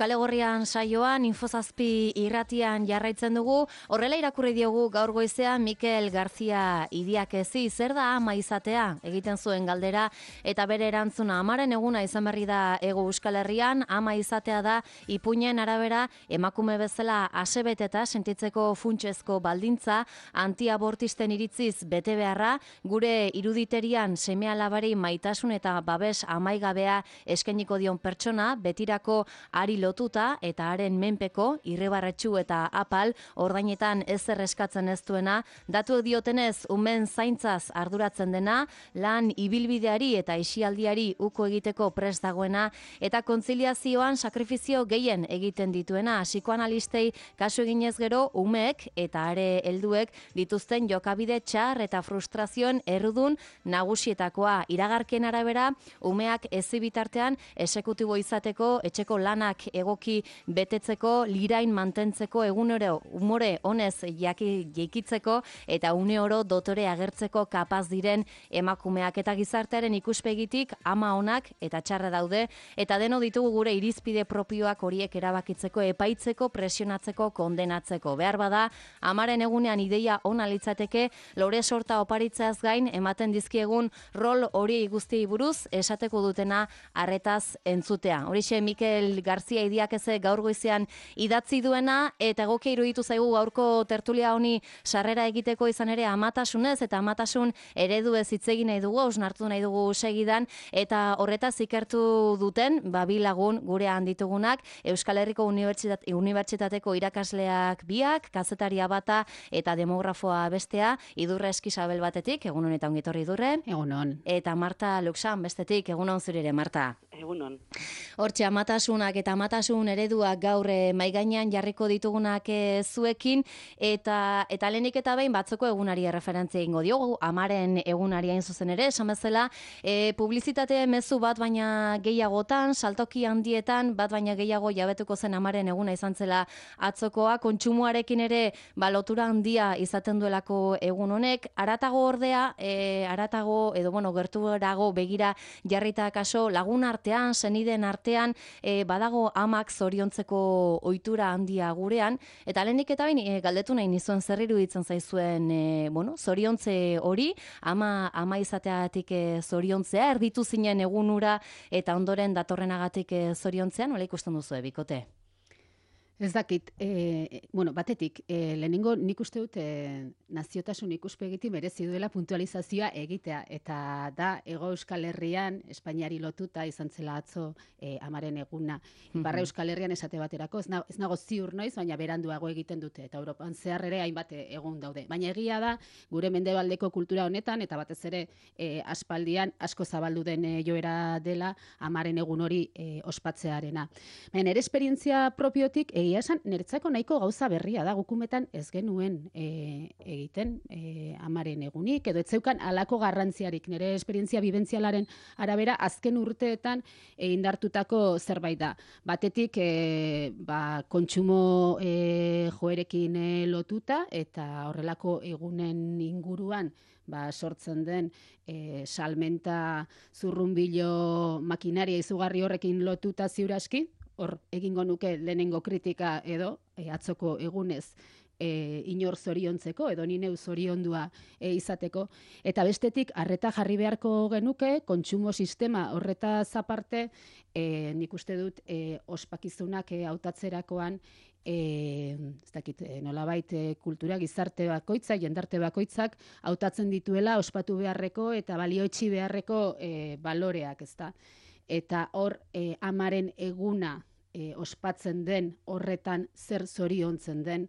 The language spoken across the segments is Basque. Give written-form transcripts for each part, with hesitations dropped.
Kale Gorrian saioan, Infozazpi irratian jarraitzen dugu, horrela irakurri diogu gaur goizean Mikel García Idiakezi, zer da ama izatea, egiten zuen galdera, eta bere erantzuna amaren eguna izan berri da Hego Euskal Herrian, ama izatea da ipuinen arabera emakume bezala asebeteta sentitzeko funtsezko baldintza, antiabortisten iritziz bete beharra, gure iruditerian seme-alabari maitasun eta babes amaigabea eskainiko dion pertsona, betirako ari lotuta eta haren menpeko, irribarretsu eta apal, ordainetan ezer eskatzen ez duena, datu diotenez umen zaintzaz arduratzen dena, lan ibilbideari eta isialdiari uko egiteko prest dagoena, eta kontziliazioan sakrifizio gehien egiten dituena, psikoanalistei kasu eginez gero, umeek eta are helduek dituzten jokabide txar eta frustrazioen errudun nagusietakoa. Iragarkien arabera, umeak ezibitartean esekutibo izateko, etxeko lanak egoki betetzeko, lirain mantentzeko, egunero umore honez jaikitzeko eta une oro dotore agertzeko kapaz diren emakumeak, eta gizartearen ikuspegitik ama onak eta txarra daude, eta deno ditugu gure irizpide propioak horiek erabakitzeko, epaitzeko, presionatzeko, kondenatzeko. Behar bada, amaren egunean ideia ona litzateke, lore sorta oparitzeaz gain ematen dizkiegun rol hori guztiei buruz esateko dutena arretaz entzutea. Horixe Mikel García Idiakeze gaur goizean idatzi duena, eta egokia iruditu zaigu gaurko tertulia honi sarrera egiteko izan ere amatasunez eta amatasun ereduez hitz egin nahi dugu, hausnartu nahi dugu segidan, eta horretaz ikertu duten, bi lagun gurean ditugunak, Euskal Herriko Unibertsitateko irakasleak biak, kazetaria bata eta demografoa bestea, Idurre Eskisabel batetik, egun honetan ongitorri Idurre. Egunon. Eta Marta Luxan bestetik, egun hon zurire, Marta. Egunon. Hortxe, amatasunak eta amatasun ereduak gaur maigainean jarriko ditugunak zuekin, eta lehenik eta behin batzoko egunari referentzia egingo diogu, amaren egunari hain zuzen ere, esan bezala, publizitate mezu bat baina gehiagotan, saltoki handietan, bat baina gehiago jabetuko zen amaren eguna izan zela atzokoa, kontsumoarekin ere lotura handia izaten duelako egun honek, aratago ordea, gerturago begira jarrita kaso lagun artean, senideen artean, badago amak zoriontzeko ohitura handia gurean, eta lehenik eta bain galdetu nahi nizuen zer iruditzen zaizuen zoriontze hori, ama izateagatik zoriontzea, erditu zinen egunura eta ondoren datorrenagatik zoriontzea, nola ikusten duzu bikote? Ez dakit, batetik, lehenengo nik uste dut naziotasun ikuspegitik merezi duela puntualizazioa egitea, eta da Hego Euskal Herrian, Espainiari lotuta izan zela atzo amaren eguna. Barra Euskal Herrian esate baterako, ez nago ziur noiz, baina beranduago egiten dute, eta Europan zehar ere hainbat egun daude. Baina egia da, gure mendebaldeko kultura honetan, eta batez ere aspaldian asko zabaldu den joera dela amaren egun hori ospatzearena. Baina nire esperientzia propiotik, egia esan, niretzako nahiko gauza berria da, gukumetan ez genuen egiten amaren egunik, edo etzeukan alako garrantziarik, nire esperientzia bibentzialaren arabera azken urteetan indartutako zerbait da. Batetik, kontsumo joerekin lotuta, eta horrelako egunen inguruan sortzen den salmenta zurrunbilo makinaria izugarri horrekin lotuta ziuraski, hor egingo nuke lehenengo kritika edo atzoko egunez inor zoriontzeko edo ni neu zoriondua izateko. Eta bestetik, arreta jarri beharko genuke, kontsumo sistema horretaz aparte, nik uste dut ospakizunak hautatzerakoan, ez dakit, nolabait kultura gizarte bakoitza, jendarte bakoitzak hautatzen dituela ospatu beharreko eta balioetsi beharreko baloreak, ezta. Eta hor amaren eguna ospatzen den horretan zer zoriontzen den,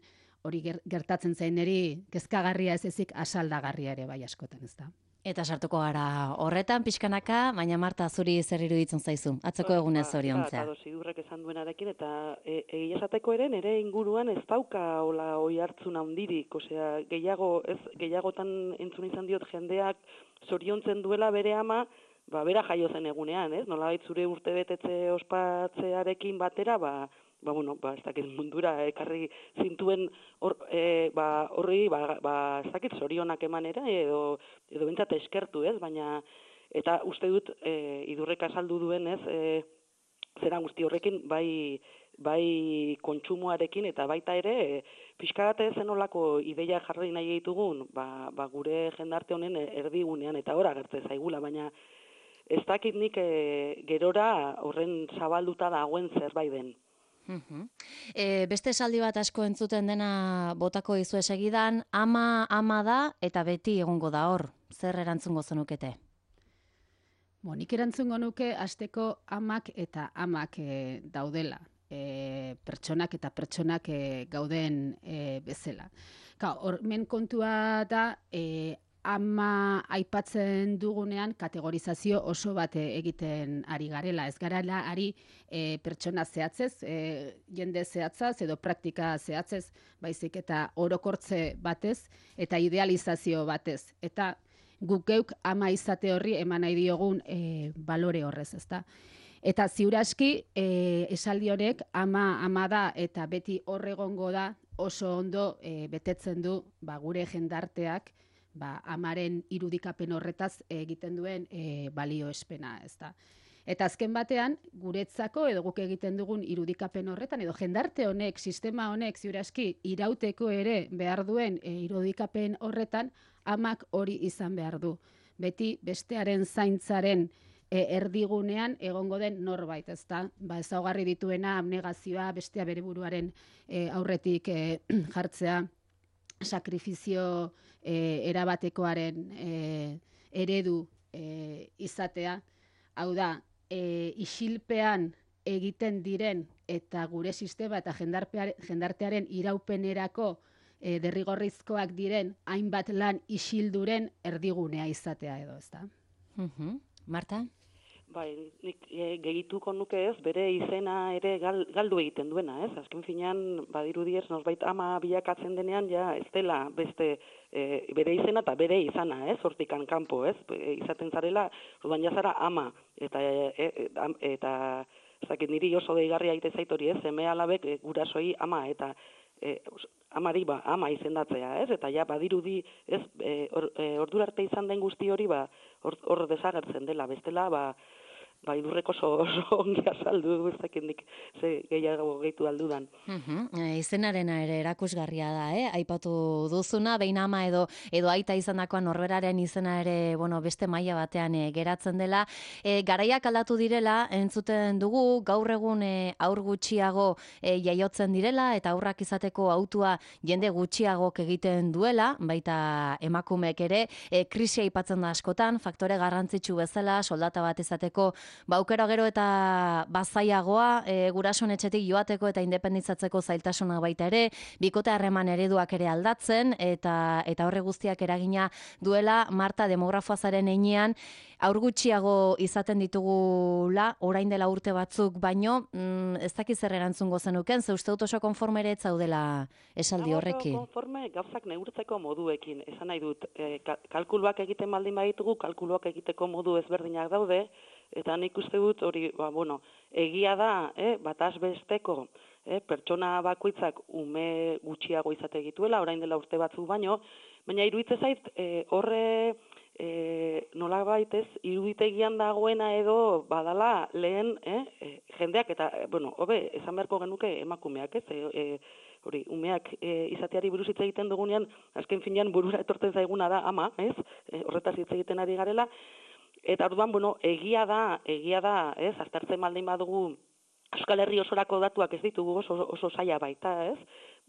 hori gertatzen zaineri kezkagarria ez ezik asaldagarria ere bai askotan, ez da. Eta sartuko gara horretan pixkanaka, baina Marta, zuri zer iruditzen zaizu, atzeko egunez zoriontzea. Eta Idurrek esan duenarekin, eta egia esateko ere, nire inguruan ez dauka oi hartzun handirik, osea, gehiagotan entzun izan diot jendeak zoriontzen duela bere ama, bera jaio zen egunean, ez? Nolabait zure urte betetze ospatzearekin batera, ez dakit mundura ekarri zintuen horri, ez dakit zorionak emanera, edo bentsat eskertu, ez? Baina, eta uste dut, Idurrek azaldu duen, ez? Zera guzti horrekin, bai bai kontsumoarekin eta baita ere pixkarate zenolako ideia jarri nahi ditugun, gure jendarte honen erdigunean eta hor agertzen zaigula, baina ez dakit nik gerora horren zabalduta dagoen zerbait den. Beste esaldi bat asko entzuten dena botako dizue segidan, ama da eta beti egongo da hor. Zer erantzungo zenukete? Nik erantzungo nuke hasteko amak eta amak daudela. Pertsonak eta pertsonak gauden bezala. Hormen kontua da, ama aipatzen dugunean kategorizazio oso bat egiten ari garela. Ez garela ari pertsona zehatzez, jende zehatzaz edo praktika zehatzez, baizik eta orokortze batez eta idealizazio batez. Eta guk geuk ama izate horri eman nahi diogun balore horrez, ezta? Eta ziur aski esaldi honek ama da eta beti hor egongo da oso ondo betetzen du gure jendarteak amaren irudikapen horretaz egiten duen balioespena, ezta. Eta azken batean, guretzako edo guk egiten dugun irudikapen horretan, edo jendarte honek, sistema honek, ziur aski, irauteko ere behar duen irudikapen horretan, amak hori izan behar du. Beti bestearen zaintzaren erdigunean egongo den norbait, ezta? Ezaugarri dituena, abnegazioa, bestea bere buruaren aurretik jartzea, sakrifizio erabatekoaren eredu izatea. Hau da, isilpean egiten diren eta gure sistema eta jendartearen iraupenerako derrigorrizkoak diren hainbat lan isilduren erdigunea izatea edo, ezta? Marta? Bai, nik gehituko nuke ez, bere izena ere galdu egiten duena, ez? Azken finean, badirudi ez, norbait ama bilakatzen denean, ja, ez dela beste bere izena eta bere izana, ez? Hortikan kanpo, ez? Izaten zarela, orduan jazara ama, eta ez dakit niri oso deigarria egite zait hori, ez? Seme alabek gurasoi ama, eta amari ama izendatzea, ez? Eta ja, badirudi, ez? Ordura arte izan den guzti hori, hor desagertzen dela, bestela, idurreko oso ongi azaldu, ez dakindik ze gehiago gehitu aldudan. Izenarena ere erakusgarria da, aipatu duzuna, behin ama edo aita izandakoan norberaren izena ere, beste maila batean geratzen dela. Garaiak aldatu direla, entzuten dugu, gaur egun aur gutxiago jaiotzen direla, eta aurrak izateko hautua jende gutxiagok egiten duela, baita emakumeek ere, krisia aipatzen da askotan, faktore garrantzitsu bezala, soldata bat izateko, aukera gero eta bazaiagoa, gurasoen etxetik joateko eta independentzatzeko zailtasuna baita ere, bikote harreman ereduak ere aldatzen, eta horre guztiak eragina duela. Marta, demografoazaren heinean, aur gutxiago izaten ditugula, orain dela urte batzuk, baino, ez dakiz zer erantzungo zenuken, ze uste dut oso konforme ere ez zaudela esaldi horrekin. Konforme gauzak neurtzeko moduekin, esan nahi dut, kalkuluak egiten baldin baditugu, kalkuluak egiteko modu ezberdinak daude, eta nik uste dut hori, egia da, bataz besteko, pertsona bakoitzak ume gutxiago izate dituela, orain dela urte batzuk baino, baina iruditzen zait horre nolabait ez, iruditegian dagoena edo badala lehen jendeak eta, hobe, esan beharko genuke emakumeak, ez, hori, umeak izateari buruz hitz egiten dugunean, azken finean burura etortzen zaiguna da ama, ez, horretaz hitz egiten ari garela. Eta orduan, egia da, ez, aztertzen baldin badugu Euskal Herri osorako datuak ez ditugu oso zaila baita, ez?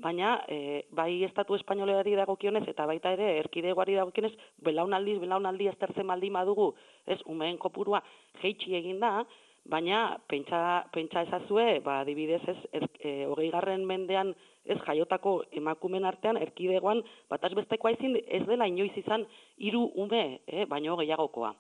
Baina, bai estatu espainoleari dagokionez eta baita ere erkidegoari dagokionez, belaunaldi aztertzen baldin badugu, ez, umeen kopurua jeitsi egin da, baina pentsa ezazue, adibidez, ez, 20. mendean ez jaiotako emakumen artean erkidegoan bataz bestekoa ez dela inoiz izan 3 ume, baino gehiagokoa.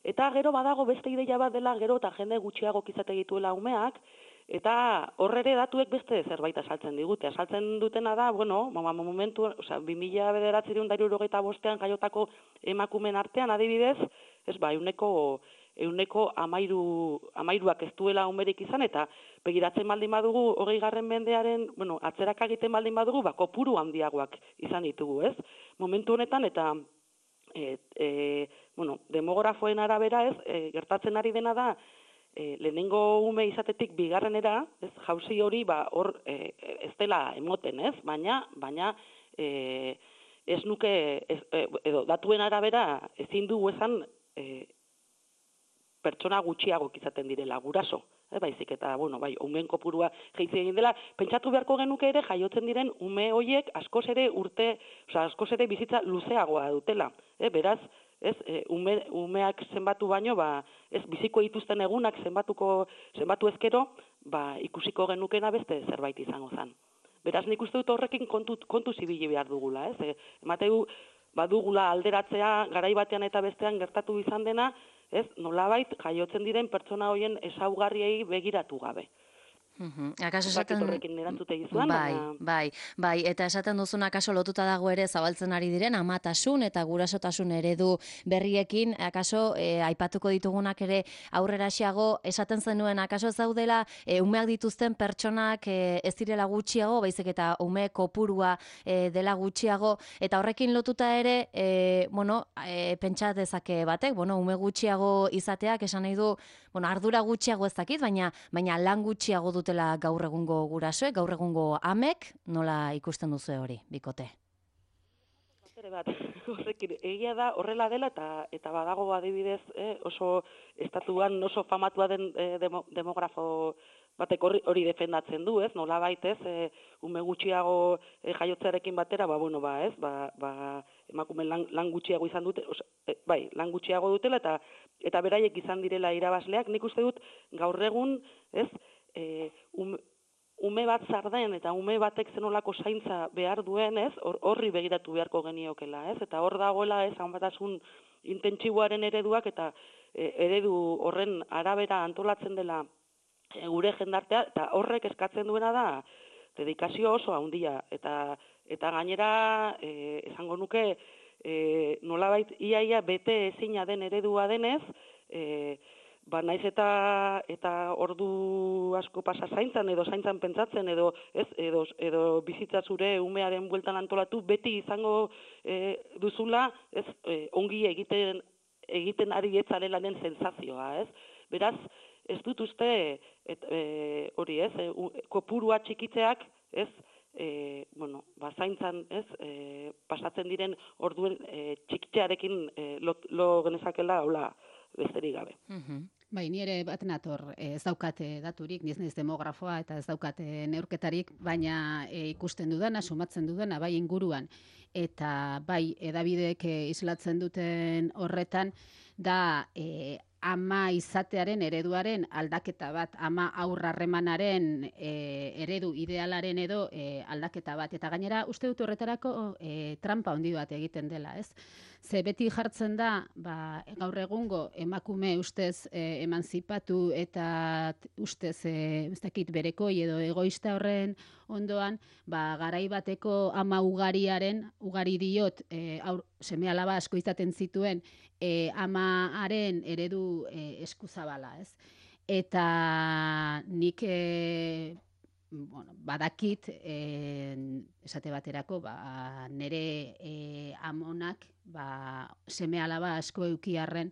Eta gero badago beste ideia bat dela gero eta jende gutxiago izate dituela umeak, eta horre ere datuek beste zerbait asaltzen digute. Asaltzen dutena da, momentu, 1995 jaiotako emakumen artean adibidez, ez euneko 13ak ez duela umerik izan, eta begiratzen baldin badugu 20. mendearen, atzerak egiten baldin badugu, kopuru handiagoak izan ditugu, ez? Momentu honetan, eta demografoen arabera ez, gertatzen ari dena da, lehenengo ume izatetik bigarrenera, ez, jauzi hori hor ez dela emoten, ez? Baina ez nuke, edo datuen arabera ezin dugu esan pertsona gutxiago izaten direla, guraso. Baizik eta, bai, umeen kopurua jeitzi egin dela, pentsatu beharko genuke ere jaiotzen diren ume hoiek askoz ere bizitza luzeagoa dutela. Beraz, umeak zenbatu baino, ez biziko dituzten egunak zenbatu ezkero, ikusiko genukena beste zerbait izango zen. Beraz, nik uste dut horrekin kontu zibili behar dugula, ez? Emateu, badugula alderatzea, garai batean eta bestean gertatu izan dena, ez, nolabait jaiotzen diren pertsona hoien ezaugarriei begiratu gabe. Akaso esaten bai, eta esaten duzuna akaso lotuta dago ere zabaltzen ari diren amatasun eta gurasotasun eredu berriekin, akaso aipatuko ditugunak ere aurreraxeago esaten zenuen akaso zaudela umeak dituzten pertsonak ez direla gutxiago, baizik eta ume kopurua dela gutxiago, eta horrekin lotuta ere pentsa dezake batek, ume gutxiago izateak esan nahi du, ardura gutxiago ez dakit, baina lan gutxiago dutela gaur egungo gurasoek, gaur egungo amek, nola ikusten duzu hori, bikote? Horrekin, egia da horrela dela eta badago adibidez oso estatuan oso famatua den demografo batek hori defendatzen du, ez? Nolabait, ez? Ume gutxiago jaiotzearekin batera, emakume lan gutxiago izan dute, lan gutxiago dutela eta beraiek izan direla irabazleak. Nik uste dut gaur egun, ez? Ume bat zarden eta ume batek zenolako zaintza behar duen, ez? Horri begiratu beharko geniokela, ez? Eta hor dagoela, ez? Hanbatasun intentsiboaren ereduak eta eredu horren arabera antolatzen dela gure jendartea, eta horrek eskatzen duena da dedikazio oso handia, eta gainera esango nuke nolabait iaia bete ezina den eredua denez, naiz eta ordu asko pasa zaintzan edo zaintzan pentsatzen edo bizitza zure umearen bueltan antolatu, beti izango duzula, ez, ongi egiten ari etzarela den sentsazioa, ez? Beraz, ez dut uste hori, ez, kopurua txikitzeak, ez, zaintzan, ez, pasatzen diren orduen txikitzearekin lo genezakela, hola, besterik gabe. Bai, ni ere bat nator ez daukate daturik, ni ez naiz demografoa eta ez daukate neurketarik, baina ikusten dudana, sumatzen dudana, bai inguruan, eta bai edabideek islatzen duten horretan, da ama izatearen ereduaren aldaketa bat, ama aurrarremanaren eredu idealaren edo aldaketa bat. Eta gainera, uste dut horretarako trampa handi bat egiten dela, ez? Ze beti jartzen da, gaur egungo emakume ustez emanzipatu eta ustez, ez dakit, berekoi edo egoista horren ondoan, garai bateko ama ugari diot, seme-alaba asko izaten zituen, amaren eredu eskuzabala, ez? Eta nik badakit esate baterako nire amonak seme-alaba asko eukiarren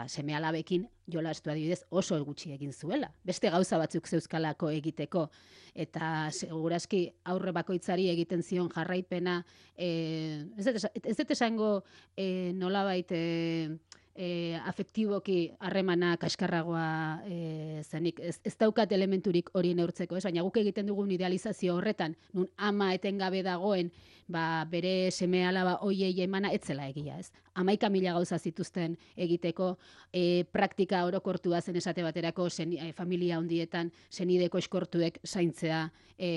seme-alabekin jolastu adibidez oso gutxi egin zuela. Beste gauza batzuk zeuzkalako egiteko eta segurazki aurre bakoitzari egiten zion jarraipena ez dut esango nolabait afektiboki harremana kaskarragoa zenik. Ez daukat elementurik hori neurtzeko, baina guk egiten dugun idealizazio horretan, nun ama etengabe dagoen, bere seme-alaba hoiei emana etzela egia, ez? 11.000 gauza zituzten egiteko, praktika orokortua zen esate baterako familia handietan senideko eskortuek zaintzea,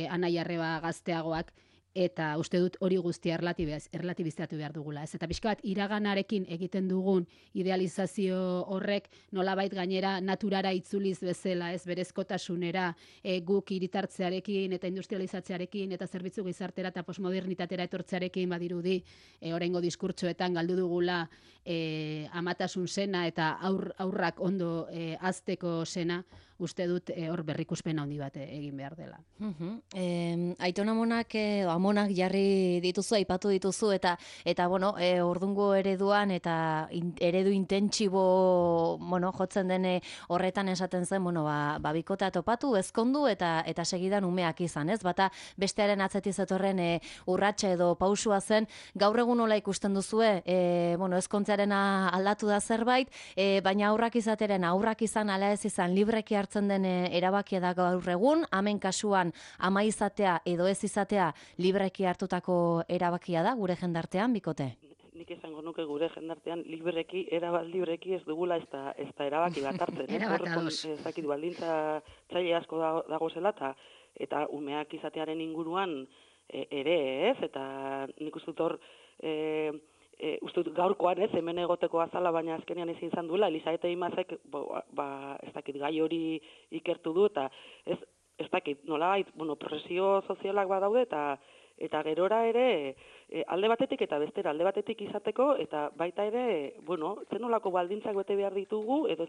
anai-arreba gazteagoak, eta uste dut hori guztia erlatibizatu behar dugula. Ez? Eta pixka bat iraganarekin egiten dugun idealizazio horrek nolabait gainera naturara itzuliz bezala, ez berezkotasunera, guk hiritartzearekin eta industrializatzearekin eta zerbitzu gizartera eta postmodernitatera etortzearekin badirudi oraingo diskurtsoetan galdu dugula amatasun sena eta aurrak ondo hazteko sena, uste dut hor berrikuspen handi bat egin behar dela. Aiton amonak, amonak jarri dituzu, aipatu dituzu, eta bueno, ordungo ereduan eta eredu intentsibo, bueno, jotzen den horretan esaten zen, bueno, bikotea topatu, ezkondu eta segidan umeak izan, ez? Bata bestearen atzetik zetorren urratsa edo pausua zen. Gaur egun nola ikusten duzue, bueno, ezkontzearena aldatu da zerbait, baina aurrak izan ala ez izan libreki hartzen den erabakia da gaur egun, hemen kasuan ama izatea edo ez izatea libreki hartutako erabakia da gure jendartean, bikote? Nik esango nuke gure jendartean libreki ez dugula ez da erabaki bat hartzen. Ezakit baldintza txaile asko dago zela eta umeak izatearen inguruan ere ez, eta nik uste dut hor uste dut gaurkoan ez, hemen egoteko azala, baina azkenean ezin izan duela, Elisabete Imazek ez dakit gai hori ikertu du, eta ez dakit nolabait, presio sozialak badaude, eta gerora ere alde batetik eta bestera alde batetik izateko, eta baita ere, zenolako baldintzak bete behar ditugu, edo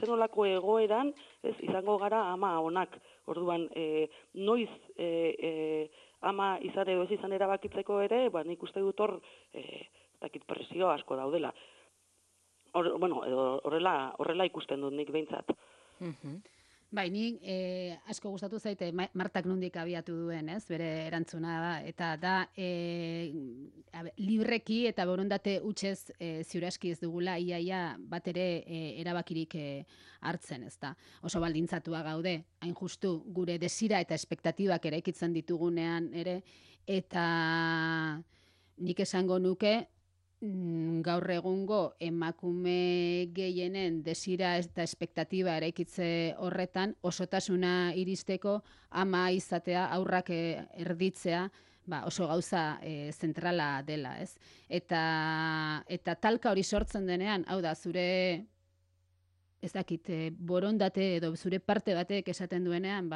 zenolako egoeran izango gara ama onak. Orduan, noiz ama izan edo ez izan erabakitzeko ere, nik uste dut hor, dakit presio asko daudela. Horrela ikusten dut nik behintzat. Bai, nik asko gustatu zaite Martak nondik abiatu duen, ez? Bere erantzuna da, eta da libreki eta borondate hutsez ziuraski ez dugula iaia bat ere erabakirik hartzen, ez da. Oso baldintzatua gaude, hain justu gure desira eta espektatibak eraikitzen ditugunean ere, eta nik esango nuke gaur egungo emakume gehienen desira eta espektatiba eraikitze horretan osotasuna iristeko ama izatea, aurrak erditzea, oso gauza zentrala dela, ez? Eta talka hori sortzen denean, hau da, zure ez dakit, borondate edo zure parte batek esaten duenean,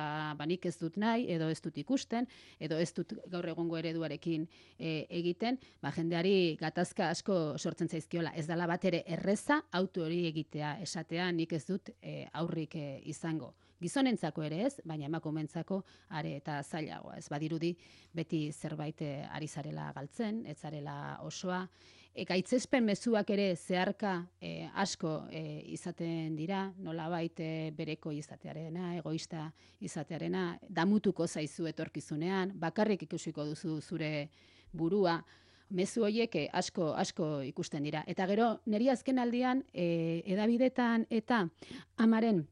nik ez dut nahi, edo ez dut ikusten, edo ez dut gaur egungo ereduarekin egiten, jendeari gatazka asko sortzen zaizkiola. Ez dela bat ere erreza auto hori egitea esatea, nik ez dut aurrik izango. Gizonentzako ere ez, baina emakumentzako are eta zailagoa. Ez badirudi beti zerbait ari zarela galtzen, ez zarela osoa. Gaitzespen mezuak ere zeharka asko izaten dira, nolabait bereko izatearena, egoista izatearena, damutuko zaizu etorkizunean, bakarrik ikusiko duzu zure burua, mezu horiek asko ikusten dira. Eta gero, niri azken aldian, edabidetan eta amaren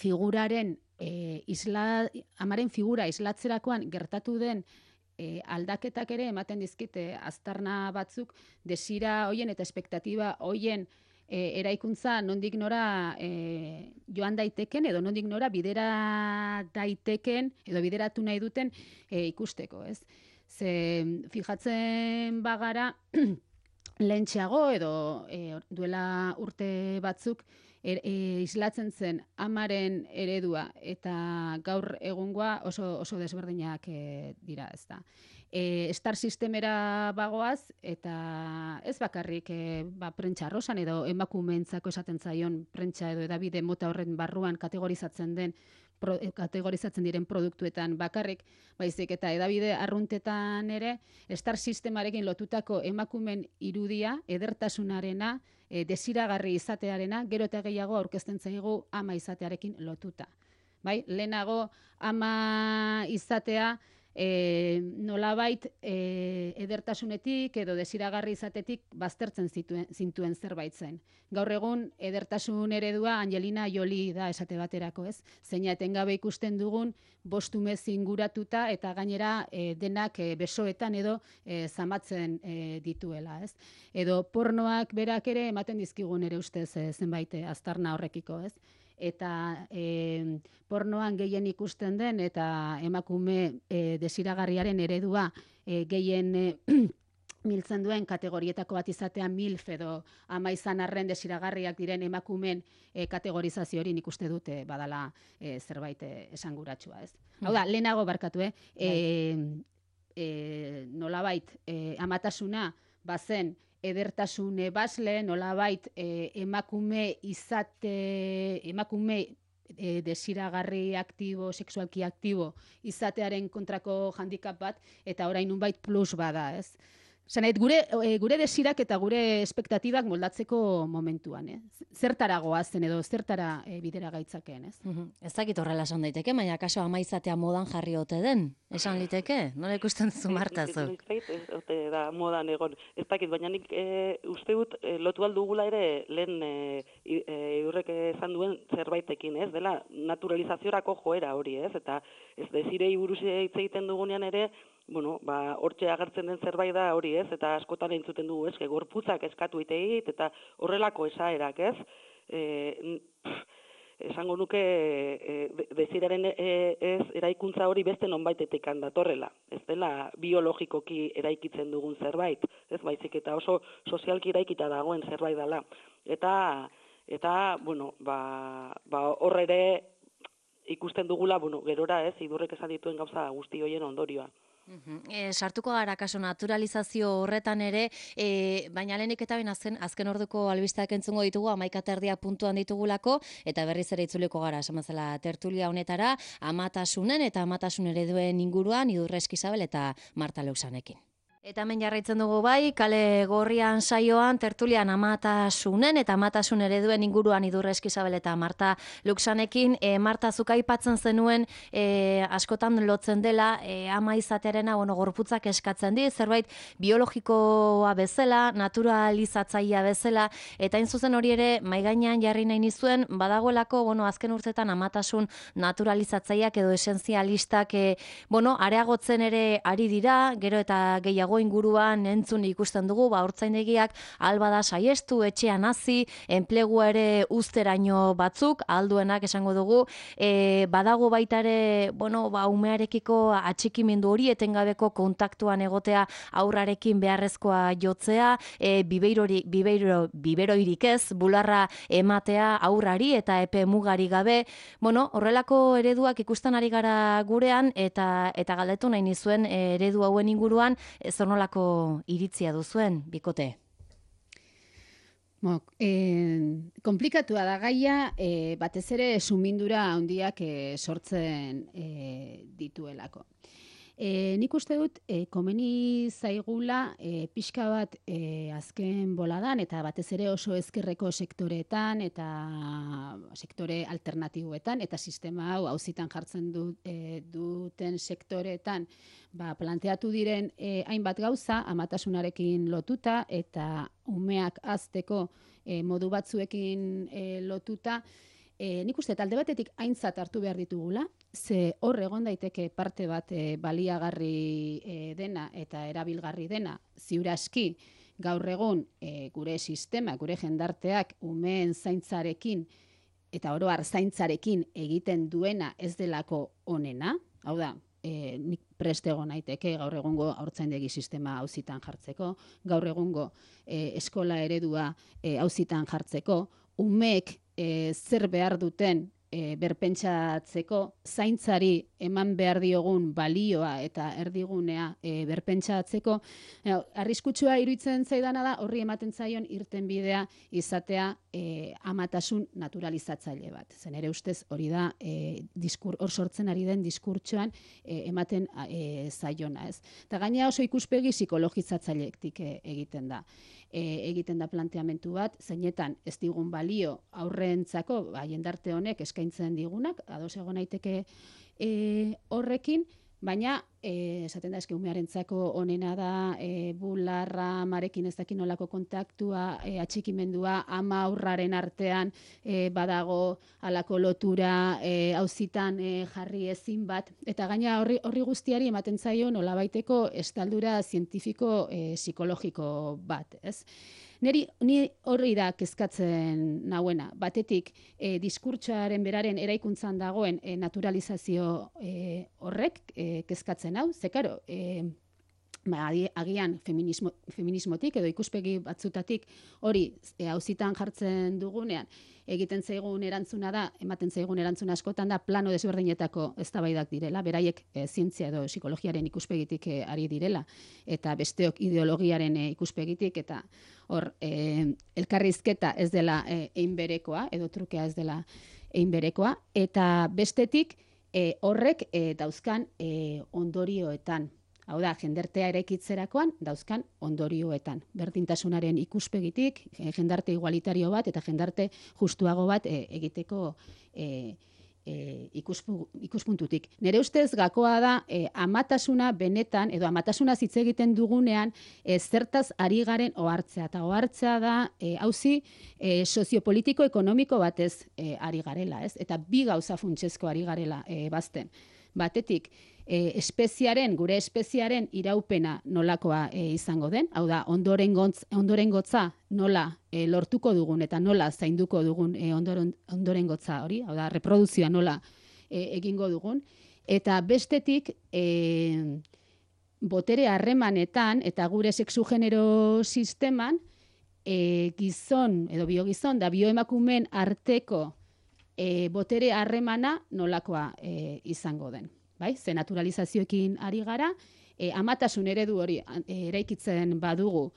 figuraren amaren figura islatzerakoan gertatu den aldaketak ere ematen dizkite aztarna batzuk desira hoien eta espektatiba hoien eraikuntza nondik nora joan daiteken edo nondik nora bidera daiteken edo bideratu nahi duten ikusteko, ez? Ze fijatzen bagara lehentxeago edo duela urte batzuk islatzen zen amaren eredua eta gaur egungoa oso desberdinak dira, ez da. Star sistemera bagoaz eta ez bakarrik prentsa arrosan edo emakumeentzako esaten zaion prentsa edo edabide mota horren barruan kategorizatzen diren produktuetan bakarrik, baizik eta edabide arruntetan ere Star sistemarekin lotutako emakumen irudia, edertasunarena, desiragarri izatearena, gero eta gehiago aurkezten zaigu ama izatearekin lotuta. Bai, lehenago ama izatea nolabait edertasunetik edo desiragarri izatetik baztertzen zintuen zerbait zen. Gaur egun edertasun eredua Angelina Jolie da esate baterako, ez? Zeina etengabe ikusten dugun bostumez inguratuta eta gainera denak besoetan edo zamatzen dituela, ez? Edo pornoak berak ere ematen dizkigun ere ustez zenbait aztarna horrekiko, ez? Eta pornoan gehien ikusten den eta emakume desiragarriaren eredua gehien miltzen duen kategorietako bat izatea MILF edo ama izan arren desiragarriak diren emakumeen kategorizazio hori nik uste dute badala zerbait esanguratsua, ez? Hau da, lehenago barkatu, nolabait amatasuna bazen edertasune basle, nolabait emakume desiragarri aktibo, sexualki aktibo izatearen kontrako handicap bat, eta orain nunbait plus bada, ez? Zanait, gure desirak eta gure espektatibak moldatzeko momentuan, zertara goazen edo zertara bidera gaitzakeen, ez? Ez dakit horrela esan daiteke, baina kaso ama izatea modan jarri ote den, esan liteke? Nola ikusten duzu Martazuk? Ez ote da modan egon. Ez dakit, baina nik uste dut lotu aldugula ere lehen Idurrek esan duen zerbaitekin, ez? Dela naturalizaziorako joera hori, ez? Eta ez desirei buruz hitz egiten dugunean ere, bueno, hortxe agertzen den zerbait da hori, ez? Eta askotan entzuten dugu, ez? Gorputzak eskatu iteit eta horrelako esaerak, ez? Esango nuke desiraren eraikuntza hori beste nonbaitetik datorrela. Ez dela biologikoki eraikitzen dugun zerbait, ez baizik eta oso sozialki eraikita dagoen zerbait dela. Eta bueno, hor ere ikusten dugula, bueno, gerora, ez, Idurrek esan dituen gauza guzti hoien ondorioa. Sartuko gara kaso naturalizazio horretan ere, baina lehenik eta bain azken orduko albisteak entzungo ditugu, 11:30 puntuan ditugulako, eta berriz ere itzuliko gara, esan bezala tertulia honetara, amatasunen eta amatasun ereduen inguruan, Idurre Eskizabel eta Marta Leusanekin. Eta hemen jarraitzen dugu bai, Kale Gorrian saioan, tertulian amatasunen eta amatasun ereduen inguruan Idurre Eskizabel eta Marta Luxanekin. Marta, zuk aipatzen zenuen askotan lotzen dela ama izatearena, gorputzak eskatzen di, zerbait biologikoa bezala, naturalizatzailea bezala, eta hain zuzen hori ere maigainean jarri nahi nizuen, badagoelako, azken urtetan amatasun naturalizatzaileak edo esentzialistak, areagotzen ere ari dira, gero eta gehiago inguruan entzun ikusten dugu, hortzaindegiak albada saiestu, etxean hasi, enplegua ere uzteraino batzuk, alduenak esango dugu, badago baita ere, umearekiko atxikimendu hori, etengabeko kontaktuan egotea aurrarekin beharrezkoa jotzea, biberoirik ez, bularra ematea aurrari eta epe mugari gabe, horrelako ereduak ikusten ari gara gurean, eta galdetu nahi nizuen eredu hauen inguruan, zonolako iritzia duzuen, bikote? Komplikatua da gaia, batez ere sumindura handiak sortzen dituelako. Nik uste dut, komeni zaigula pixka bat azken boladan, eta batez ere oso ezkerreko sektoreetan, eta sektore alternatiboetan, eta sistema hau auzitan jartzen duten sektoreetan, planteatu diren hainbat gauza, amatasunarekin lotuta, eta umeak hazteko modu batzuekin lotuta, nik uste talde batetik aintzat hartu behar ditugula, ze hor egon daiteke parte bat baliagarri dena eta erabilgarri dena, ziur aski gaur egun gure sistema, gure jendarteak umeen zaintzarekin eta oro har zaintzarekin egiten duena ez delako onena, hau da, nik prest egon naiteke gaur egungo haurtzaindegi sistema auzitan jartzeko, gaur egungo eskola eredua auzitan jartzeko, umeek zer behar duten berpentsatzeko, zaintzari eman behar diogun balioa eta erdigunea berpentsatzeko, arriskutsua iruditzen zaidana da horri ematen zaion irtenbidea izatea amatasun naturalizatzaile bat. Zen ere ustez hori da hor sortzen ari den diskurtsoan ematen zaiona, ez. Eta gaina oso ikuspegi psikologizatzailetik egiten da planteamentu bat, zeinetan ez digun balio aurrentzako, jendarte honek eskaintzen digunak, ados egon naiteke horrekin, baina esaten da umearentzako onena da bularra amarekin ez dakin nolako kontaktua, atxikimendua, ama aurraren artean badago halako lotura auzitan jarri ezin bat, eta gaina horri guztiari ematen zaio nolabaiteko estaldura zientifiko psikologiko bat, ez? Ni horri da kezkatzen nauena. Batetik, diskurtsoaren beraren eraikuntzan dagoen naturalizazio horrek kezkatzen hau. Ze, karo, agian feminismotik edo ikuspegi batzutatik hori auzitan jartzen dugunean, egiten zaigun erantzuna da, ematen zaigun erantzuna askotan da plano desberdinetako eztabaidak direla, beraiek zientzia edo psikologiaren ikuspegitik ari direla, eta besteok ideologiaren ikuspegitik, eta hor elkarrizketa ez dela einberekoa, edo trukea ez dela egin berekoa, eta bestetik horrek dauzkan ondorioetan. Hau da, jendartea eraikitzerakoan dauzkan ondorioetan. Berdintasunaren ikuspegitik, jendarte igualitario bat eta jendarte justuago bat egiteko ikuspuntutik. Nere ustez gakoa da amatasuna benetan, edo amatasuna hitz egiten dugunean, zertaz ari garen ohartzea. Eta ohartzea da auzi soziopolitiko ekonomiko batez ari garela, ez? Eta bi gauza funtsezko ari garela bazten. Batetik, gure espeziaren iraupena nolakoa izango den, hau da, ondorengotza nola lortuko dugun eta nola zainduko dugun ondorengotza hori, hau da, reproduzioa nola egingo dugun, eta bestetik botere harremanetan eta gure sexu-genero sisteman gizon edo biogizon da bioemakumeen arteko botere harremana nolakoa izango den. Bai? Ze naturalizazioekin ari gara, amatasun eredu hori eraikitzen badugu,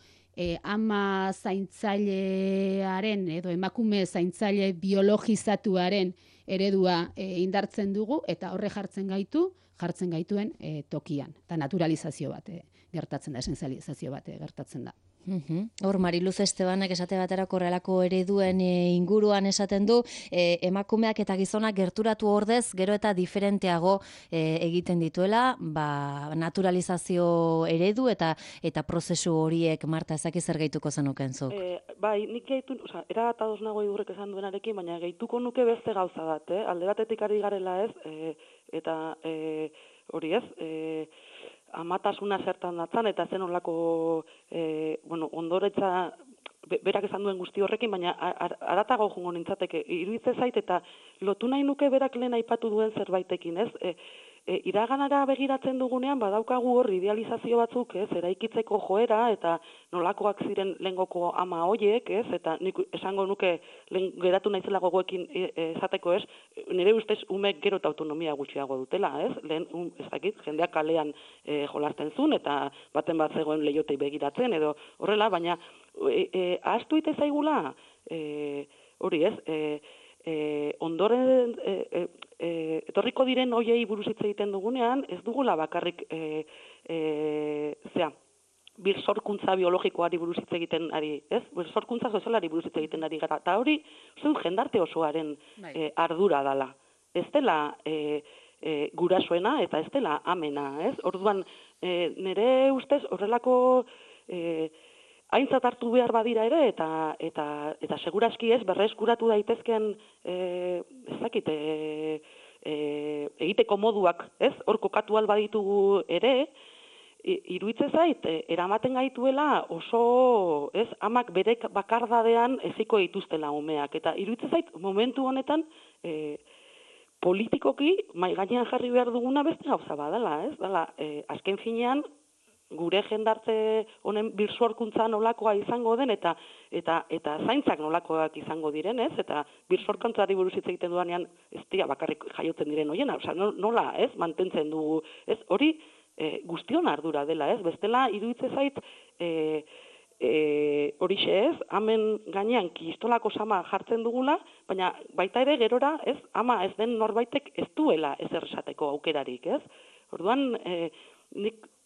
ama zaintzailearen edo emakume zaintzaile biologizatuaren eredua indartzen dugu, eta horre jartzen gaituen tokian. Eta naturalizazio bat gertatzen da, esenzializazio bat gertatzen da. Hor, Mariluz Estebanek esate baterako horrelako ereduen inguruan esaten du, emakumeak eta gizonak gerturatu ordez, gero eta diferenteago egiten dituela, naturalizazio eredu eta prozesu horiek, Marta, ezaki zer gehituko zenuken zuk? Bai, nik gehitu, era bat ados nago idurrek esan duenarekin, baina gehituko nuke beste gauza bat, alde batetik ari garela ez, eta hori ez, amatasuna zertan datzan, eta zen olako ondoretza berak esan duen guzti horrekin, baina aratago jungo nintzateke, iruditze zait, eta lotu nahi nuke berak lehen aipatu duen zerbaitekin, ez? Iraganara begiratzen dugunean, badaukagu hor idealizazio batzuk, ez? Eraikitzeko joera, eta nolakoak ziren lehengoko ama hoiek, ez? Eta nik esango nuke geratu naizela gogoekin esateko, ez? Nire ustez umek gero eta autonomia gutxiago dutela, ez? Lehen, ez dakit, jendeak kalean jolasten zuen, eta baten bat zegoen leiotei begiratzen, edo horrela, baina ahaztu ite zaigula, hori ez, ondoren etorriko diren hoiei buruz hitz egiten dugunean, ez dugula bakarrik birsorkuntza biologikoari buruz hitz egiten ari, ez? Birsorkuntza sozialari buruz hitz egiten ari gara. Eta hori, jendarte osoaren ardura dela. Ez dela gurasoena eta ez dela amena, ez? Orduan, nire ustez horrelako aintzat hartu behar badira ere, eta segurazki ez, berreskuratu daitezken, ezakit, egiteko moduak, ez, hor kokatu albaditugu ere, iruitze zait, eramaten gaituela oso, ez, amak berek bakardadean eziko dituztela umeak, eta iruitze zait, momentu honetan, politikoki, mai gainean jarri behar duguna beste gauza badala, ez, dala, azken finean, gure jendarte honen birsorkuntza nolakoa izango den eta zaintzak nolakoak izango diren, ez? Eta birsorkuntzari buruz hitz egiten dudanean ez dira bakarrik jaiotzen diren hoiena, osea nola, ez? Mantentzen dugu, ez? Hori guztion ardura dela, ez? Bestela iruditze zait horixe ez, amen gainean kistolako sama jartzen dugula, baina baita ere gerora, ez? Ama ez den norbaitek ez duela ezer esateko aukerarik, ez? Orduan,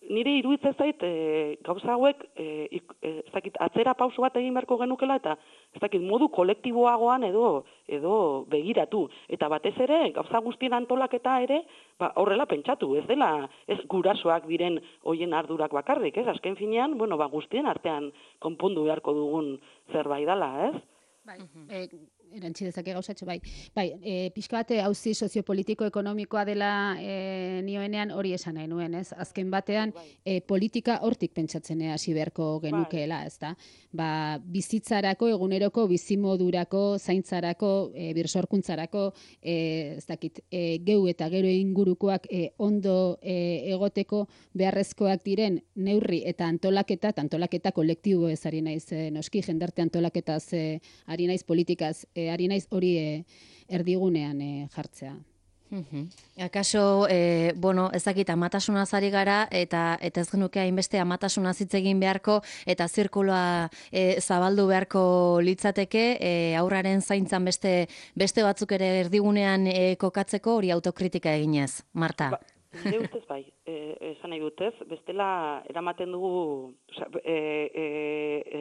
nire iruditzen zait gauza hauek atzera pauso bat egin beharko genukela eta modu kolektiboagoan edo begiratu. Eta batez ere, gauza guztien antolaketa ere, horrela pentsatu, ez dela, ez gurasoak diren hoien ardurak bakarrik, ez? Azken finean, guztien artean konpondu beharko dugun zerbait dela, ez? Bai, erantzi dezake gauzatxo, bai. Bai, pixka bat auzi soziopolitiko-ekonomikoa dela nioenean hori esan nahi nuen, ez? Azken batean, politika hortik pentsatzen hasi beharko genukeela, ez da? Bizitzarako, eguneroko, bizimodurako, zaintzarako, birsorkuntzarako, ez dakit, geu eta gero ingurukoak ondo egoteko beharrezkoak diren neurri eta antolaketa kolektibo ez ari naiz, noski, jendarte antolaketaz ari naiz politikaz, ari naiz hori erdigunean jartzea. Akaso, bueno, ezakit amatasunaz ari gara, eta ez genuke hainbeste amatasunaz hitz egin beharko, eta zirkuloa zabaldu beharko litzateke, aurraren zaintzan beste batzuk ere erdigunean kokatzeko hori autokritika eginez, Marta. Nire ustez bai, esan nahi dut ez, bestela eramaten dugu,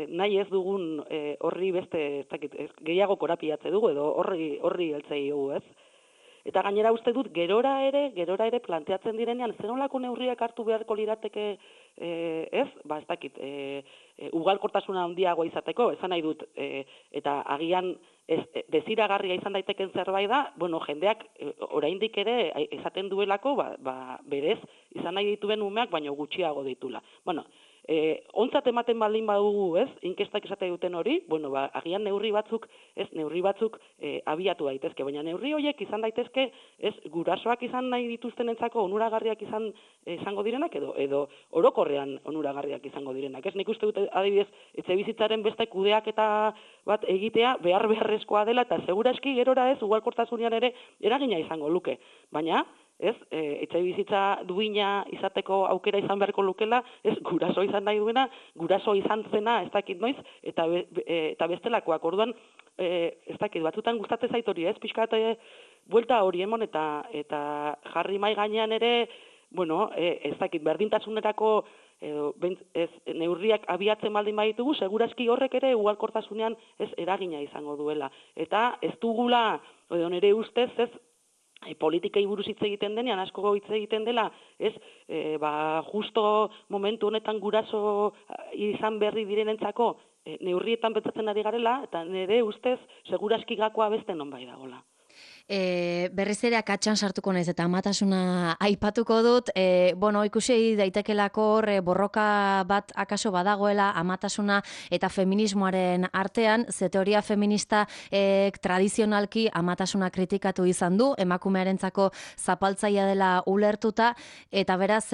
nahi ez dugun horri beste, ez dakit, gehiago korapiatze dugu, edo horri heltzei dugu ez. Eta gainera uste dut, gerora ere planteatzen direnean, zer nolako neurriak hartu beharko lirateke ez? Ba, ez dakit, ugalkortasuna handiagoa izateko, esan nahi dut, eta agian desiragarria izan daiteken zerbait da, bueno, jendeak oraindik ere esaten duelako, berez, izan nahi dituen umeak, baino gutxiago ditula. Bueno, ontzat ematen baldin badugu, ez, inkestak esate duten hori, bueno, agian neurri batzuk abiatu daitezke, baina neurri horiek izan daitezke, ez, gurasoak izan nahi dituztenentzako onuragarriak izango direnak, edo orokorrean onuragarriak izango direnak, ez, nik uste dut adibidez, etxebizitzaren beste kudeaketa bat egitea beharrezkoa dela, eta seguraski gerora ez, ugalkortasunean ere eragina izango luke, baina, ez, etxebizitza duina izateko aukera izan beharko lukela, ez, guraso izan nahi duena, guraso izan zena, ez dakit noiz, eta bestelakoak, orduan, ez dakit, batzutan gustatzen zait hori, ez, pixkat buelta hori emon, eta jarri mai gainean ere, bueno, ez dakit, berdintasunerako neurriak abiatzen baldin baditugu, seguraski horrek ere ugalkortasunean ez eragina izango duela. Eta ez dugula, edo nire ustez, ez, politikei buruz hitz egiten denean, asko hitz egiten dela, ez, justo momentu honetan guraso izan berri direnentzako neurrietan betzatzen ari garela, eta nire ustez, seguraski gakoa beste nonbait dagoela. Berriz ere akatsan sartuko naiz eta amatasuna aipatuko dut, bueno, ikusi daitekelako hor borroka bat akaso badagoela amatasuna eta feminismoaren artean, ze teoria feminista tradizionalki amatasuna kritikatu izan du, emakumearentzako zapaltzaia dela ulertuta, eta beraz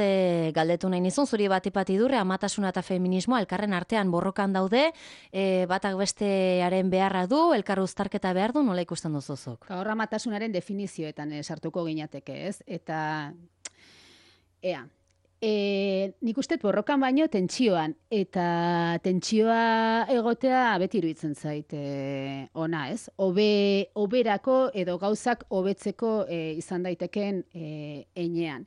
galdetu nahi nizun, zuri bat idurre, amatasuna eta feminismoa elkarren artean borrokan daude, batak bestearen beharra du, elkar uztarketa behar du, nola ikusten duzuzuk? Gaur amatasunaren definizioetan sartuko gineateke, ez? Eta, nik uste borrokan baino tentsioan, eta tentsioa egotea beti iruditzen zait ona, ez? Oberako edo gauzak hobetzeko izan daiteken heinean.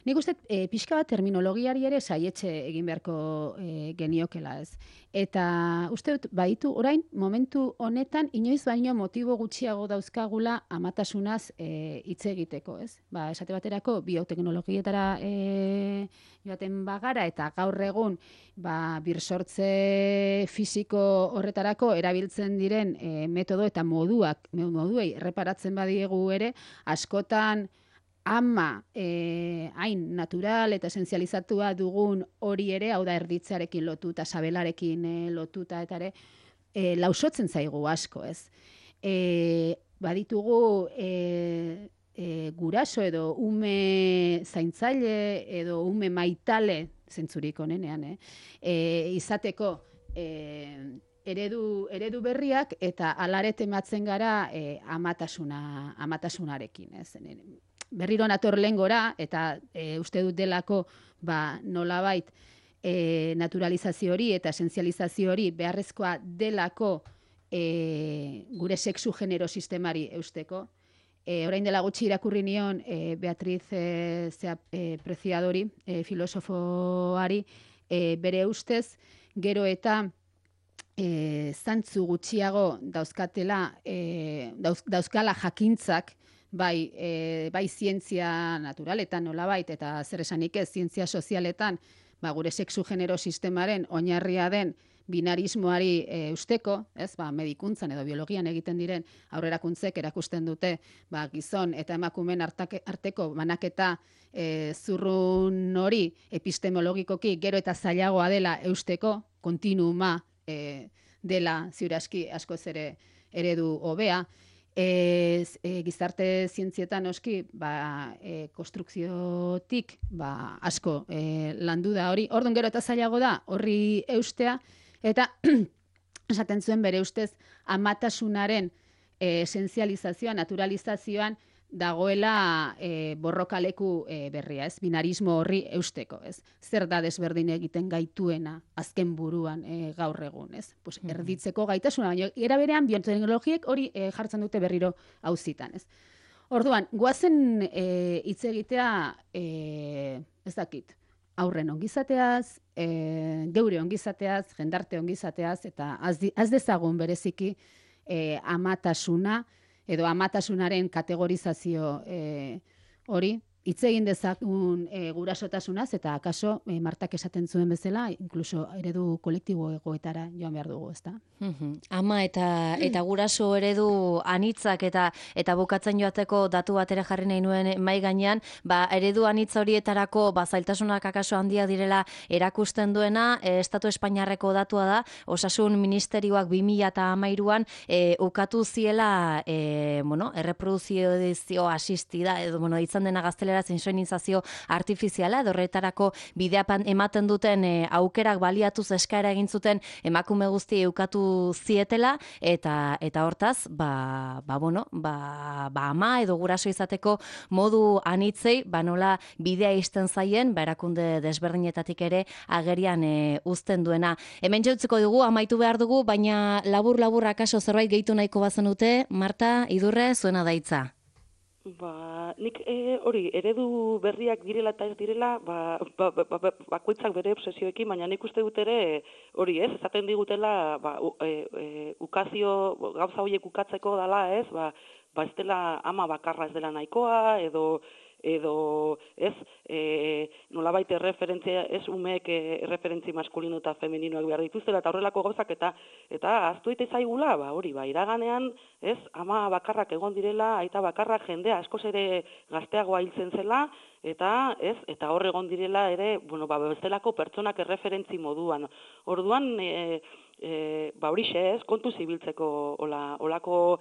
Nik uste pixka bat terminologiari ere saietxe egin beharko geniokela, ez? Eta uste dut, baitu orain, momentu honetan, inoiz baino motibo gutxiago dauzkagula amatasunaz hitz egiteko, ez? Esate baterako, bioteknologietara joaten bagara, eta gaur egun, birsortze fisiko horretarako erabiltzen diren metodo eta moduei erreparatzen badiegu ere, askotan ama hain natural eta esenzializatua dugun hori ere, hau da erditzearekin lotuta, sabelarekin lotuta, eta ere, lausotzen zaigu asko, ez? Baditugu guraso edo ume zaintzaile edo ume maitale, zentzurik onenean, izateko eredu berriak, eta alare tematzen gara amatasunarekin, ez? Berriro nator lehengora, eta uste dut delako nolabait naturalizazio hori eta esenzializazio hori beharrezkoa delako gure sexu genero sistemari eusteko. Orain dela gutxi irakurri nion Beatriz Preciadori, filosofoari, bere ustez, gero eta zantzu gutxiago dauzkala jakintzak, bai zientzia naturaletan nolabait, eta zer esanik ez, zientzia sozialetan, gure sexu genero sistemaren oinarria den binarismoari usteko, ez, medikuntzan edo biologian egiten diren aurrerakuntzek erakusten dute, gizon eta emakumeen arteko banaketa zurrun hori epistemologikoki gero eta zailagoa dela eusteko, kontinuuma dela ziuraski askoz ere eredu hobea. Gizarte zientzietan oski konstrukziotik asko landu da hori. Orduan gero eta zailago da horri eustea, eta esaten zuen bere ustez amatasunaren esenzializazioa, naturalizazioan dagoela borrokaleku berria, ez? Binarismo horri eusteko, ez? Zer da desberdin egiten gaituena azken buruan gaur egun, ez? Pues erditzeko gaitasuna, baina era berean bioteknologiek hori jartzen dute berriro auzitan, ez? Orduan, goazen hitz egitea ez dakit, aurren ongizateaz, geure ongizateaz, jendarte ongizateaz, eta az dezagun bereziki amatasuna, edo amatasunaren kategorizazio hori, hitz egin dezagun gurasotasunaz, eta akaso Martak esaten zuen bezala, inkluso eredu kolektibo egoetara joan behar dugu, ezta? Ama eta guraso eredu anitzak eta bukatzen joateko datu bat ere jarri nahi nuen mai gainean, eredu anitz horietarako zailtasunak akaso handia direla erakusten duena, Estatu Espainiarreko datua da, Osasun Ministerioak 2013an ukatu ziela erreproduzio asistida, edo ditzen dena gaztelera insoinizazio artifiziala, edo horretarako bidea ematen duten aukerak baliatuz eskaera egin zuten emakume guzti ukatu zietela, eta hortaz, ama edo guraso izateko modu anitzei, nola bidea izten zaien, erakunde desberdinetatik ere agerian uzten duena. Hemen jautzeko dugu, amaitu behar dugu, baina labur-labur akaso zerbait gehitu nahiko bazenute, Marta, Idurre, zuena daitza. Nik hori, eredu berriak direla eta ez direla, bakoitzak bere obsesioekin, baina nik uste dut ere, hori ez, esaten digutela, ukazio, gauza horiek ukatzeko dela ez, ez dela ama bakarra ez dela nahikoa, edo ez, nolabait erreferentzia, ez umeek erreferentzi maskulino eta femeninoak behar dituztela, eta horrelako gauzak, eta aztu eta izaigula, hori, iraganean, ez, ama bakarrak egon direla, aita bakarrak jendea askoz ere gazteagoa hiltzen zela, eta hor egon direla ere, bestelako pertsonak erreferentzi moduan. Orduan, horixe ez, kontu zibiltzeko olako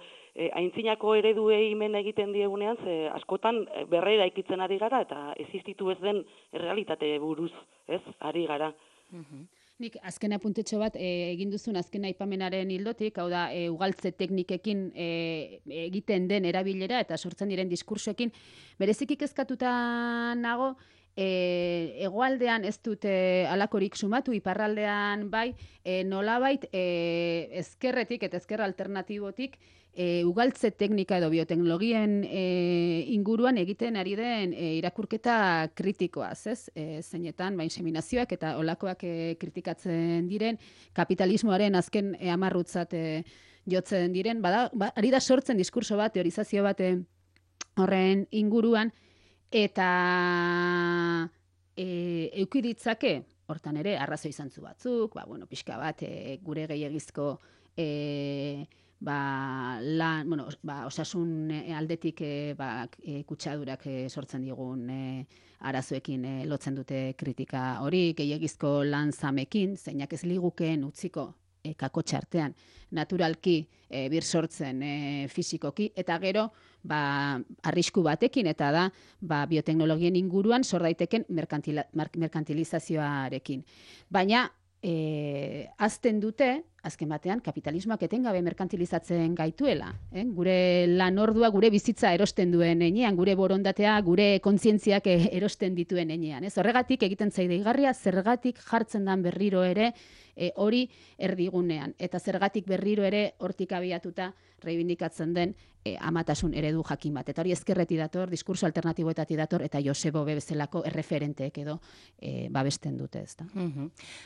aintzinako ereduei men egiten diegunean, ze askotan berrera ikitzen ari gara, eta existitu ez den realitate buruz, ez, ari gara. Nik azken apuntetxo bat egin duzun azken aipamenaren hildotik, hau da, ugaltze teknikekin egiten den erabilera eta sortzen diren diskursoekin, bereziki kezkatuta nago, hegoaldean ez dute alakorik sumatu, iparraldean bai, nolabait ezkerretik eta ezker alternatibotik ugaltze teknika edo bioteknologien inguruan egiten ari den irakurketa kritikoaz, ez? Zeinetan, inseminazioak eta olakoak kritikatzen diren, kapitalismoaren azken amarrutzat jotzen diren, ari da sortzen diskurso bat, teorizazio bat horren inguruan, eta eukiditzake, hortan ere, arrazoi zantzu batzuk, pixka bat gure gehiagizko osasun aldetik kutsadurak sortzen digun arazoekin lotzen dute kritika hori, gehiagizko lan zamekin, zeinak ez ligukeen utziko kakotxartean naturalki bir sortzen fisikoki, eta gero arrisku batekin, eta da bioteknologien inguruan sor daiteken merkantilizazioarekin. Baina azten dute, azken batean, kapitalismoak etengabe merkantilizatzen gaituela. Gure lan ordua, gure bizitza erosten duen enean, gure borondatea, gure kontzientziak erosten dituen enean. Horregatik egiten zaideigarria, zergatik jartzen dan berriro ere hori erdigunean. Eta zergatik berriro ere hortik abiatuta reibindikatzen den amatasun eredu jakin bat. Eta hori ezkerreti dator, diskurso alternatiboetati dator, eta Josebo bezalako erreferenteek edo babesten dute, ezta.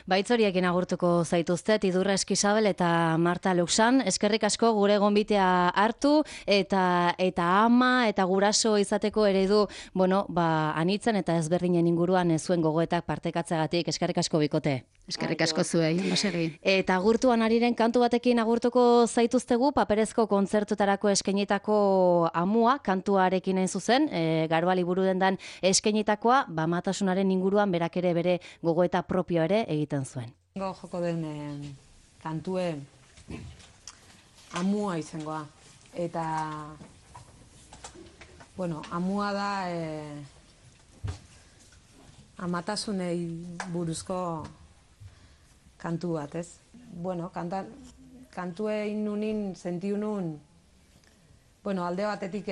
Baitz horiekin agurtuko zaituztet, Idurre Eskizabel eta Marta Luxan, eskerrik asko gure gonbitea hartu, eta ama eta guraso izateko eredu, anitzen eta ezberdinen inguruan zuen gogoetak partekatzegatik, eskerrik asko bikote. Eskerrik asko zuei, nosegi. Eta agurtuan ariren kantu batekin agurtuko zaituztegu, paperezko kontzertutarako eskainitako amua, kantuarekin hain zuzen, Garoali buru dendan eskainitakoa, amatasunaren inguruan berak ere bere gogoeta propio ere egiten zuen. Joko den kantue amua izangoa. Eta, amua da amatasunei buruzko kantu bat, ez? Kantue inunin, sentiu nun, alde batetik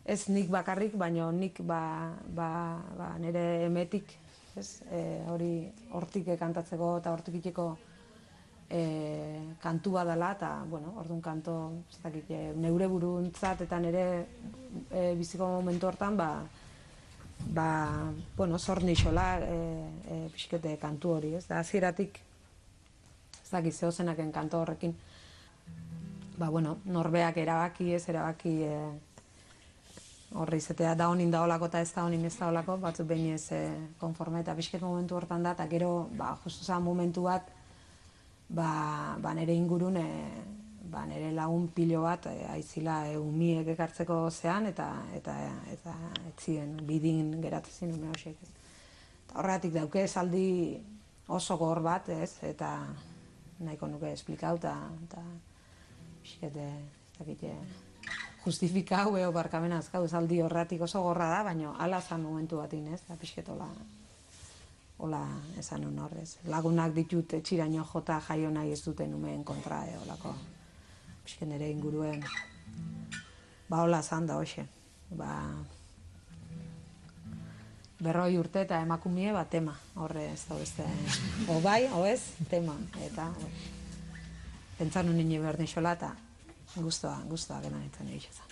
ez nik bakarrik, baina nik nire emetik, ez, hori hortik kantatzeko eta hortik iteko kantu badala, eta, bueno, orduan kanto, ez dakit, neure buruntzat eta nire biziko momentu hortan, bueno, zor nixola pixkete kantu hori, ez da, hasieratik, ez dakit, zehozenaken kanto horrekin, bueno, norbeak erabaki, horre izatea da honin da olako eta ez da honin ez da olako, batzuk behin ez konforme eta pixket momentu hortan da, eta gero, justu zan momentu bat, nire ingurun, nire lagun pilo bat, aizila umiek ekartzeko zean, eta etzien bidin geratzen zin ume horiek. Horregatik dauke esaldi oso gor bat, ez, eta nahiko nuke esplikau, eta pixkete, ez dakite, justifikau, barkamena azkau, esaldi horregatik oso gorra da, baina ala zan momentu batin, ez, eta pixket hola esan un horrez. Lagunak ditut etxiraino jota jaio nahi ez duten umeen kontra, holako, pixket nire inguruen, hola zan da, hoxe, 40 urte eta emakumie, tema, horre ez da beste, o bai, o ez, tema, eta, pentsan unin behar nixola, eta guztua gena nintzen egizan.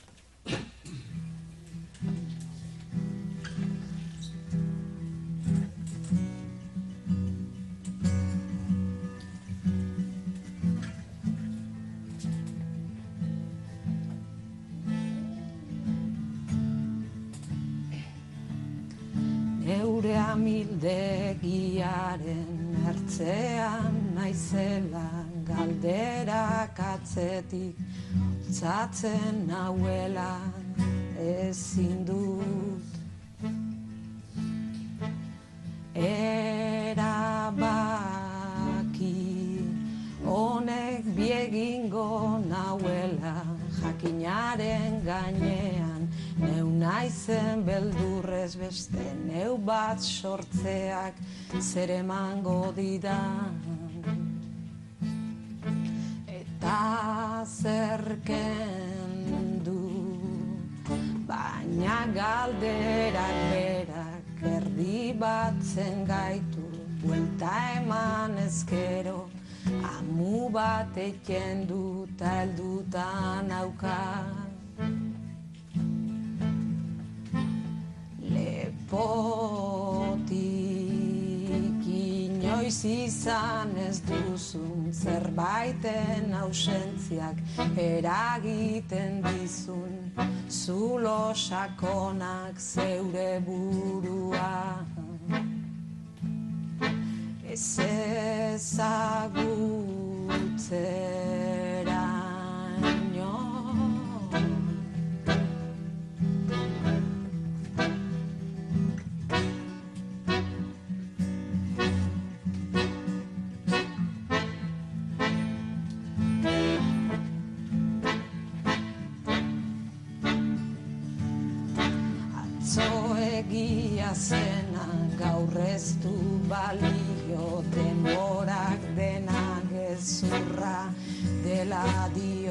Neure amildegiaren ertzean naizela, galderak atzetik txatzen nauela ezin dut erabaki honek biegingo nauela jakinaren gainean neu naizen beldurrez beste neu bat sortzeak zer emango didan eta zerken du baina galderak berak erdi batzen gaitu buelta eman ezkero amu bat eken dut heldutan auka lepotik inoiz izan ez duzun zerbaiten ausentziak eragiten dizun zulo sakonak zeure burua ez ezagutzeraino egia zena gaur ez du balio denborak dena gezurra dela dio